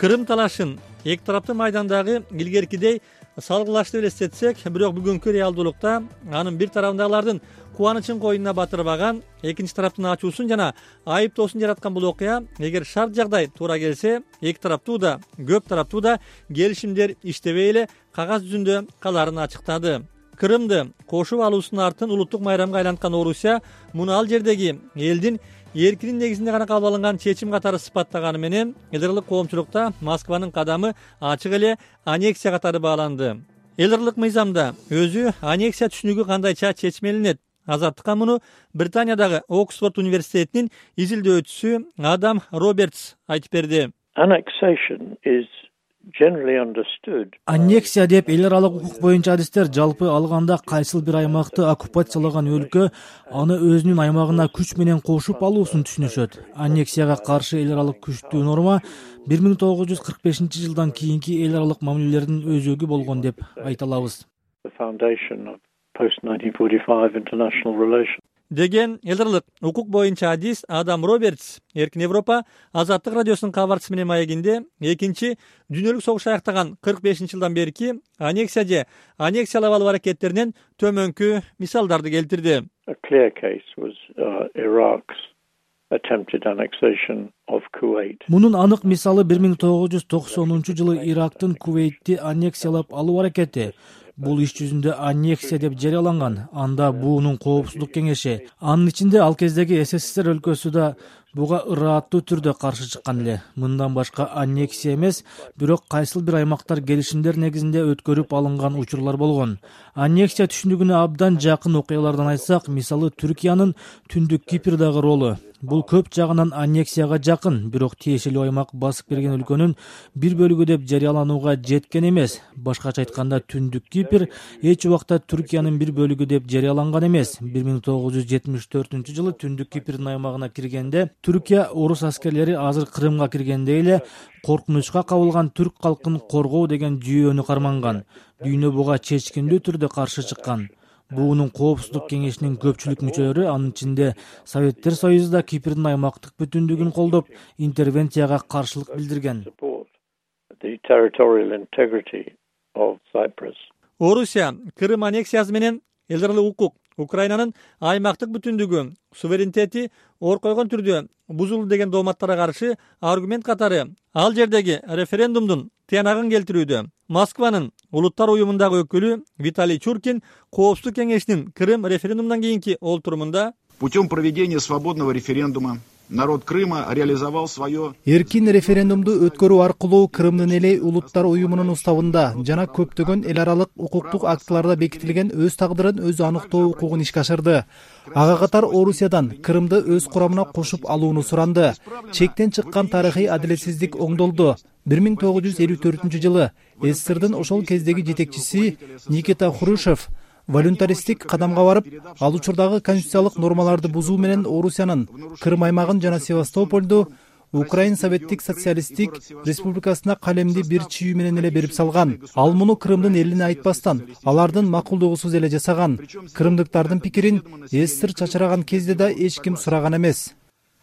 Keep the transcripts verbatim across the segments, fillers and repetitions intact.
Кырым талашын эки тараптуу майдандагы илгеркидей салгылашты элестетсек, бирок бүгүнкү реалдуулукта анын бир тарабындагылардын кубанычын койнуна батырбаган, экинчи тараптын ачуусун жана айыптоосун жараткан бул окуя, эгер шарт жагдай туура келсе, эки тараптуу да, көп тараптуу да келишимдер иштебей эле кагаз жүзүндө каларын ачыктады. Кырымды кошуп алуусунун артын улуттук майрамга айланткан Орусия муну ал жердеги элдин эркинин негизинде гана кабыл алынган чечим катары сыпаттаганы менен эл аралык коомчулукта Москванын кадамы ачык эле аннексия катары бааланды. Эл аралык мыйзамда өзү аннексия түшүнүгү кандайча чечмелинет? Азаттыкка муну Британиядагы Оксфорд университетинин изилдөөчүсү Адам Робертс айтып берди. Аннексия деп эл аралык укук боюнча адистер жалпы алганда кайсыл бир аймакты оккупациялаган өлкө аны өзүнүн аймагына күч менен кошуп алуусун түшүнүшөт. Аннексияга каршы эл аралык күчтүү норма бир миң тогуз жүз кырк бешинчи жылдан кийинки эл аралык мамилелердин өзөгү болгон деп айта алабыз деген эл аралык укук боюнча адис Адам Робертс Эркин Европа Азаттык радиосунун кабарчысы менен маегинде экинчи дүйнөлүк согуш аяктаган кырк бешинчи жылдан берки аннексия же аннексиялап алуу аракеттеринен төмөнкү мисалдарды келтирди. Мунун анык мисалы бир миң тогуз жүз токсонунчу жылы Ирактын Кувейтти аннексиялап алуу аракети. Бул иш жүзүндө аннексия деп жарыяланган. Анда буунун коопсуздук кеңеши, анын ичинде ал кездеги СССР өлкөсү да буга ырааттуу түрдө каршы чыккан эле. Мындан башка аннексия эмес, бирок кайсыл бир аймактар келишимдер негизинде өткөрүп алынган учурлар болгон. Аннексия түшүнүгүнө абдан жакын окуялардан айтсак, мисалы Түркиянын Түндүк Кипрдагы ролу. Бул көп жагынан аннексияга жакын, бирок тиешелүү аймак басып келген өлкөнүн бир бөлүгү деп жарыяланууга жеткен эмес. Башкача айтканда, Түндүк Кипр эч убакта Түркиянын бир бөлүгү деп жарыяланган эмес. бир миң тогуз жүз жетимиш төртүнчү жылы Түндүк Кипрдин аймагына киргенде, Түркия орус аскерлери азыр Крымга киргендей эле коркунучка кабылган түрк калкын коргоо деген жүйөнү карманган. Дүйнө буга чечкиндүү түрдө каршы чыккан. Буунун коопсуздук кеңешинин көпчүлүк мүчөлөрү, анын ичинде Советтер Союзу да Кипрдин аймактык бүтүндүгүн колдоп, интервенцияга каршылык билдирген. Орусия Крым аннексиясы менен эл аралык укук, Украинанын аймактык бүтүндүгү, суверенитети ор койгон түрдө бузулду деген дооматтарга каршы аргумент катары ал жердеги референдумдун тыянагын келтирүүдө. Москванын улуттар уюмундагы өкүлү Виталий Чуркин Коопсуздук кеңешинин Крым референдумундан кийинки олтурумунда путем проведения свободного референдума народ Крыма реализовал свое. Эркин референдумду өткөрүү аркылуу Крымдын эли улуттар уюмунун уставында жана көптөгөн эл аралык укуктук актыларда бекитилген өз тагдырын өзү аныктоо укугун ишке ашырды. Ага катар Орусиядан Крымды өз курамына кошуп алууну суранды. Чектен чыккан тарыхый адилетсиздик оңдолду. бир миң тогуз жүз элүү төртүнчү жылы СССРдин ошол кездеги жетекчиси Никита Хрущев волюнтаристтик кадамга барып, ал учурдагы конституциялык нормаларды бузуу менен Орусиянын Крым аймагын жана Севастопольду Украин Советтик социалисттик республикасына калемди бир чүйүү менен эле берип салган. Ал муну Крымдын элине айтпастан, алардын макулдугусуз эле жасаган. Крымдыктардын пикирин СССР чачыраган кезде да эч ким сураган эмес.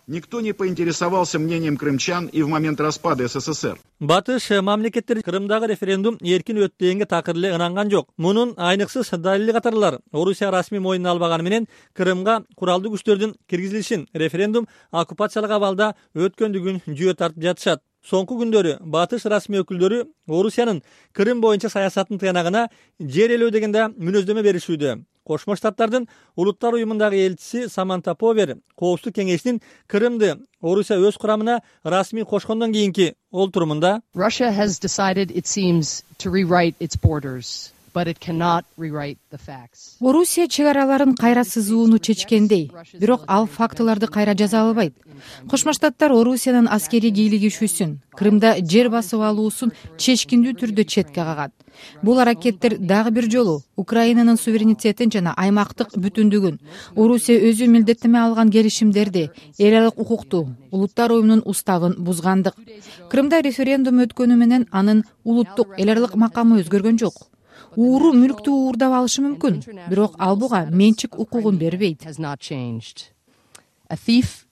Никто не поинтересовался мнением крымчан и в момент распада СССР. Батыш мамлекеттер Крымдагы референдум эркин өттү дегенге такыр эле ынанган жок. Мунун айныксыз далили катарлар Орусия расмий мойнуна албаганы менен Крымга куралдуу күчтөрдүн киргизилишин референдум оккупациялык абалда өткөндүгүн жүйө тартып жатышат. Соңку күндөрү батыш расмий өкүлдөрү Орусиянын Крым боюнча саясатын тыянагына жер ээлөө дегенде мүнөздөмө беришүүдө. Кошмо Штаттардын улуттар уюмундагы элчиси Саманта Повер Коопсуздук кеңешинин Крымды Орусия өз курамына расмий кошкондон кийинки олтурумунда Russia has decided, it seems, to rewrite its borders, but it cannot rewrite the facts. Орусия чек араларын кайра сызууну чечкендей, бирок ал фактыларды кайра жаза албайт. Кошмо Штаттар Орусиянын аскерий кийлигишүүсүн, Крымда жер басып алуусун чечкиндүү түрдө четке кагат. Бул аракеттер дагы бир жолу Украинанын суверенитетин жана аймактык бүтүндүгүн, Орусия өзү милдеттеме алган келишимдерди, эл аралык укукту, улуттар уюмунун уставын бузгандык. Крымда референдум өткөнү менен анын улуттук эл аралык макамы өзгөргөн жок. Ууру мүлктү уурдап алышы мүмкүн, бирок ал буга менчик укугун бербейт. A thief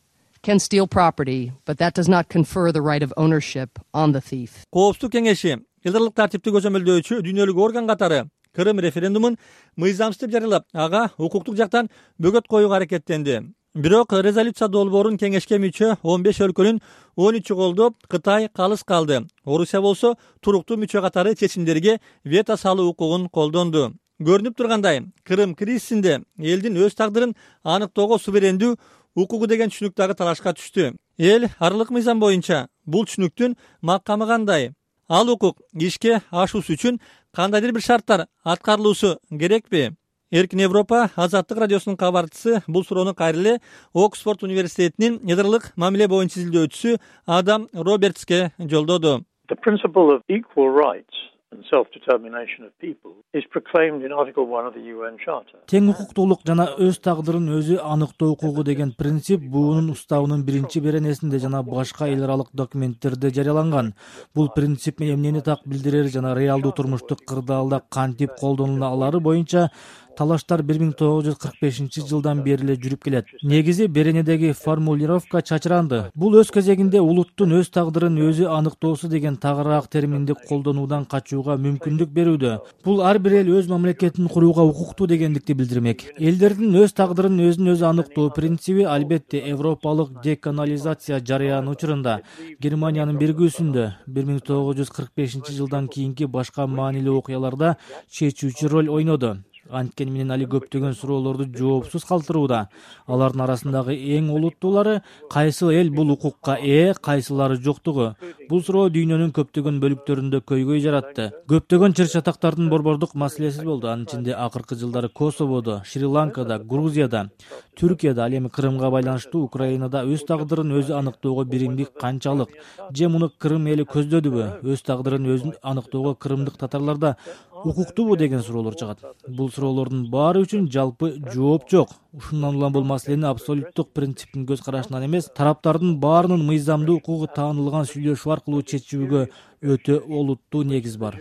can steal property, but that does not confer the right of ownership on the thief. Коопсуздук кеңеши элдарлык тартипти көзөмөлдөөчү дүйнөлүк орган катары Кырым референдумун мыйзамсыз деп жарыялап, ага укуктук жактан бөгөт коюуга аракеттенди. Бирок резолюция долбоорун кеңешке мүчө он беш өлкөнүн он үчү колдоп, Кытай калыс калды. Орусия болсо туруктуу мүчө катары чечимдерге вето салуу укугун колдонду. Көрүнүп тургандай, Кырым кризисинде элдин өз тагдырын аныктоого суверендүү укугу деген түшүнүк дагы талашка түштү. Эл аралык мыйзам боюнча бул түшүнүктүн макамы кандай? Ал укук ишке ашуусу үчүн кандайдыр бир шарттар аткарылуусу керекпи? Эркин Европа Азаттык радиосунун кабарчысы бул суроону кайра эле Оксфорд университетинин ядралык мамиле боюнча изилдөөчүсү Адам Робертске жолдоду. The principle of equal rights and self-determination of people is proclaimed in Article one of the U N Charter. Тең укуктуулук жана өз тагдырын өзү аныктоо укугу деген принцип буунун уставынын биринчи беренесинде жана башка эл аралык документтерде жарыяланган. Бул принцип эмнени так билдирер жана реалдуу турмуштук кырдаалда кантип колдонула алары боюнча талаштар бир миң тогуз жүз кырк бешинчи жылдан бери эле жүрүп келет. Негизи беренедеги формулировка чачыранды. Бул өз кезегинде улуттун өз тагдырын өзү аныктоосу деген тагыраак терминди колдонуудан качууга мүмкүндүк берүүдө. Бул ар бир эл өз мамлекетин курууга укуктуу дегендикти билдирмек. Элдердин өз тагдырын өзүн өзү аныктоо принциби албетте европалык деколонизация жарыяны учурунда Германиянын биригүүсүндө бир миң тогуз жүз кырк бешинчи жылдан кийинки башка маанилүү окуяларда чечүүчү роль ойноду. Анткени менен али көптөгөн суроолорду жоопсуз калтырууда. Алардын арасындагы эң олуттуулары кайсы эл бул укукка ээ, кайсылары жоктугу. Бул суроо дүйнөнүн көптөгөн бөлүктөрүндө көйгөй жаратты. Көптөгөн чыр-чатактардын борбордук маселеси болду. Анын ичинде акыркы жылдары Косоводо, Шри-Ланкада, Грузияда, Түркияда, ал эми Крымга байланыштуу Украинада өз тагдырын өзү аныктоого биримдик канчалык же муну Крым эли көздөдүбү? Өз тагдырын өзү аныктоого крымдык татарларда укуктуубу деген суроолор чыгат. Бул суроолордун баары үчүн жалпы жооп жок. Ушундан улам бул маселени абсолюттук принциптин көз карашынан эмес, тараптардын баарынын мыйзамдуу укугу таанылган сүйлөшүү аркылуу чечүүгө өтө олуттуу негиз бар.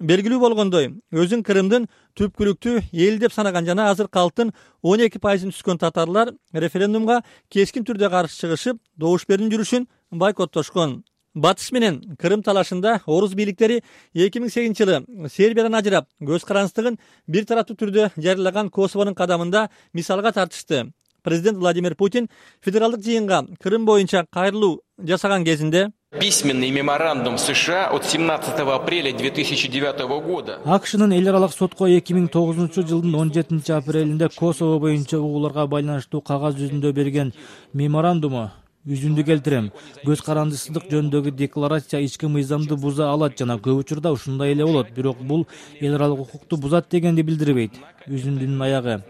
Белгилүү болгондой, өзүн Крымдын түпкүлүктүү эл деп санаган жана азыр калктын он эки пайызын түскөн татарлар референдумга кескин түрдө каршы чыгышып, добуш берүүнүн жүрүшүн бойкоттошкон. Батыш менен Крым талашында орус бийликтери эки миң сегизинчи жылы Сербиядан ажырап, көз карандысыздыгын бир тараптуу түрдө жарыялаган Косовонун кадамында мисалга тартышты. Президент Владимир Путин федералдык жыйынга Крым боюнча кайрылуу жасаган кезинде Письменный меморандум США от семнадцатого апреля две тысячи девятого года. АКШнын эл аралык сотко эки миң тогузунчу жылдын он жетинчи апрелинде Косово боюнча угууларга байланыштуу кагаз жүзүндө берген меморандуму үзүндү келтирем. Көз карандысыздык жөнүндөгү декларация ички мыйзамды буза алат жана көп учурда ушундай эле болот. Бирок бул эл аралык укукту бузат дегенди билдирбейт. Үзүндүнүн аягы.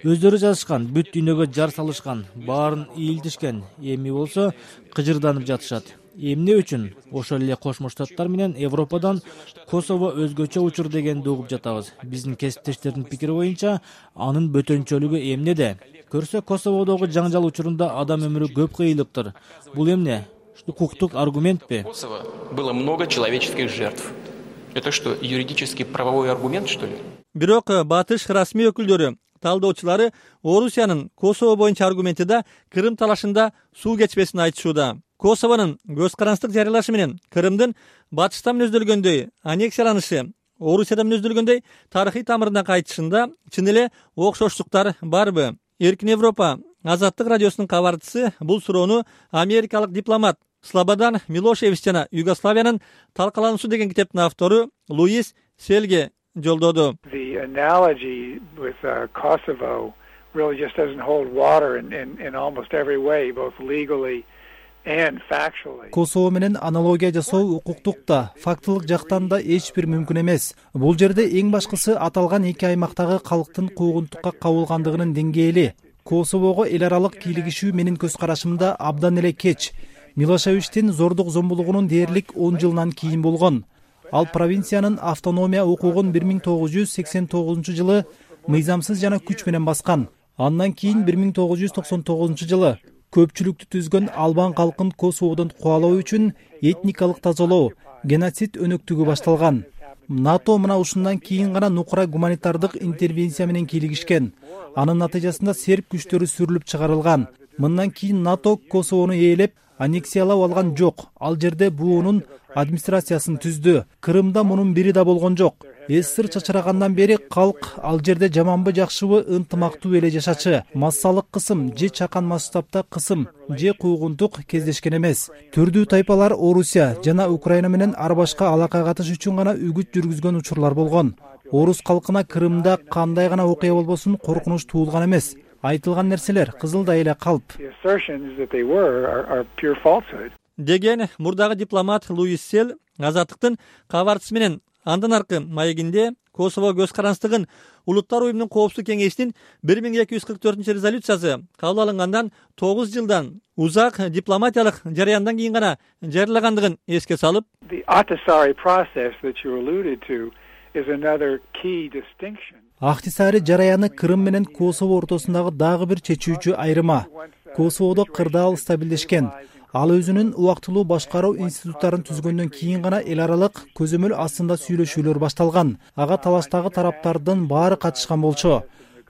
Өздөрү жазышкан, бүт дүйнөгө жар салышкан, баарын ийилтишкен. Эми болсо кыжырданып жатышат. Эмне үчүн? Ошол эле Кошмо Штаттар менен Европадан Косово өзгөчө учур дегенди угуп жатабыз. Биздин кесиптештердин пикири боюнча анын бөтөнчөлүгү эмнеде? Көрсө Косоводогу жаңжал учурунда адам өмүрү көп кыйылыптыр. Бул эмне? Укуктук аргументпи? Косово было много человеческих жертв. Это что, юридический правовой аргумент, что ли? Бирок батыш расмий өкүлдөрү, талдоочулары Орусиянын Косово боюнча аргументи да Крым талашында суу кечпесин айтышууда. Косовонун көз карандысыздык жарыялашы менен Крымдын батыштан өздөлгөндөй аннексияланышы, Орусиядан өздөлгөндөй тарыхый тамырына кайтышында чын эле окшоштуктар барбы? Эркин Европа Азаттык радиосунун кабарчысы бул суроону америкалык дипломат Слободан Милошевич жана Югославиянын талкалануусу деген китептин автору Луис Селге жолдоду. The analogy with uh, Kosovo really just doesn't hold water in, in, in almost every way, both legally and factually. Косово менен аналогия жасоо укуктук да, фактылык жактан да эч бир мүмкүн эмес. Бул жерде эң башкысы аталган эки аймактагы калктын куугунтукка кабылгандыгынын деңгээли. Косового эл аралык кийлигишүү менин көз карашымда абдан эле кеч. Милошевичтин зордук зомбулугунун дээрлик он жылдан кийин болгон. Ал провинциянын автономия укугун бир миң тогуз жүз сексен тогузунчу жылы мыйзамсыз жана күч менен баскан. Андан кийин бир миң тогуз жүз токсон тогузунчу жылы көпчүлүктү түзгөн албан калкын Косоводон кубалоо үчүн этникалык тазалоо, геноцид өнөктүгү башталган. НАТО мына ушундан кийин гана нукура гуманитардык интервенция менен кийлигишкен. Анын натыйжасында серб күчтөрү сүрүлүп чыгарылган. Мындан кийин НАТО Косовону ээлеп, аннексиялап алган жок. Ал жерде буунун администрациясын түздү. Крымда мунун бири да болгон жок. СССР чачырагандан бери калк ал жерде жаманбы жакшыбы ынтымактуу эле жашачы. Массалык кысым же чакан масштабта кысым же куугунтук кездешкен эмес. Түрдүү тайпалар Орусия жана Украина менен ар башка алака катыш үчүн гана үгүт жүргүзгөн учурлар болгон. Орус калкына Крымда кандай гана окуя болбосун коркунуч туулган эмес. Айтылган нерселер кызылдай эле калп. Деген мурдагы дипломат Луис Сел Азаттыктын кабарчысы менен андан аркы маегинде Косово көз каранчтыгын Улуттар уюмунун коопсуздук кеңешинин бир миң эки жүз кырк төртүнчү резолюциясы кабыл алынгандан тогуз жылдан узак дипломатиялык жараяндан кийин гана жарыялагандыгын эске салып, Ахтисари жараяны Крым менен Косово ортосундагы дагы бир чечүүчү айырма. Косоводо кырдаал стабилдешкен. Ал өзүнүн убактылуу башкаруу институттарын түзгөндөн кийин гана эл аралык көзөмөл астында сүйлөшүүлөр башталган. Ага талаштагы тараптардын баары катышкан болчу.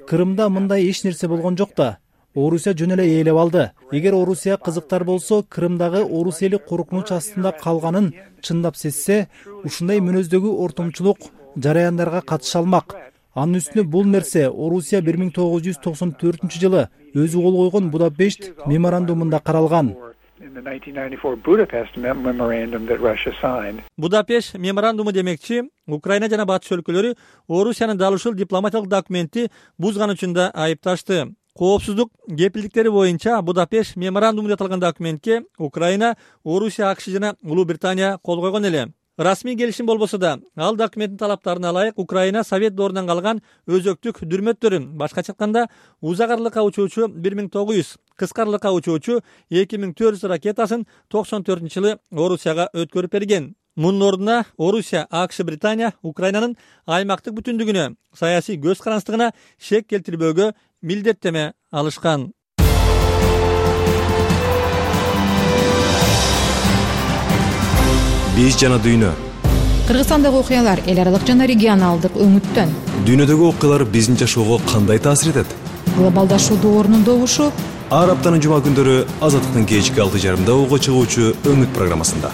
Крымда мындай эч нерсе болгон жок да. Орусия жөн эле ээлеп алды. Эгер Орусия кызыктар болсо, Крымдагы орус эли коркунуч астында калганын чындап сезсе, ушундай мүнөздөгү ортомчулук жараяндарга катыша алмак. Анын үстүнө бул нерсе Орусия бир миң тогуз жүз токсон төртүнчү жылы өзү кол койгон Будапешт меморандумунда каралган. Будапешт меморандуму демекчи, Украина жана батыш өлкөлөрү Орусиянын дал ушул дипломатиялык документти бузган үчүн да айыпташты. Коопсуздук кепилдиктери боюнча Будапешт меморандуму деп аталган документке Украина, Орусия, АКШ жана Улуу Британия кол койгон эле. Расмий келишим болбосо да, ал документтин талаптарына ылайык Украина Совет доорунан калган өзөктүк дүрмөттөрүн, башкача айтканда, узак аралыкка учуучу бир миң тогуз жүз, кыска аралыкка учуучу эки миң төрт жүз ракетасын токсон төртүнчү жылы Орусияга өткөрүп берген. Мунун ордуна Орусия, АКШ, Британия Украинанын аймактык бүтүндүгүнө, саясий көз каранчтыгына шек келтирбөөгө милдеттеме алышкан. Биз жана дүйнө. Кыргызстандагы окуялар эл аралык жана регионалдык өңүттөн. Дүйнөдөгү окуялар биздин жашоого кандай таасир этет? Глобалдашуу доорунун добушу. Ар аптанын жума күндөрү Азаттыктын кечки алты жарымда угуп чыгуучу өңүт программасында.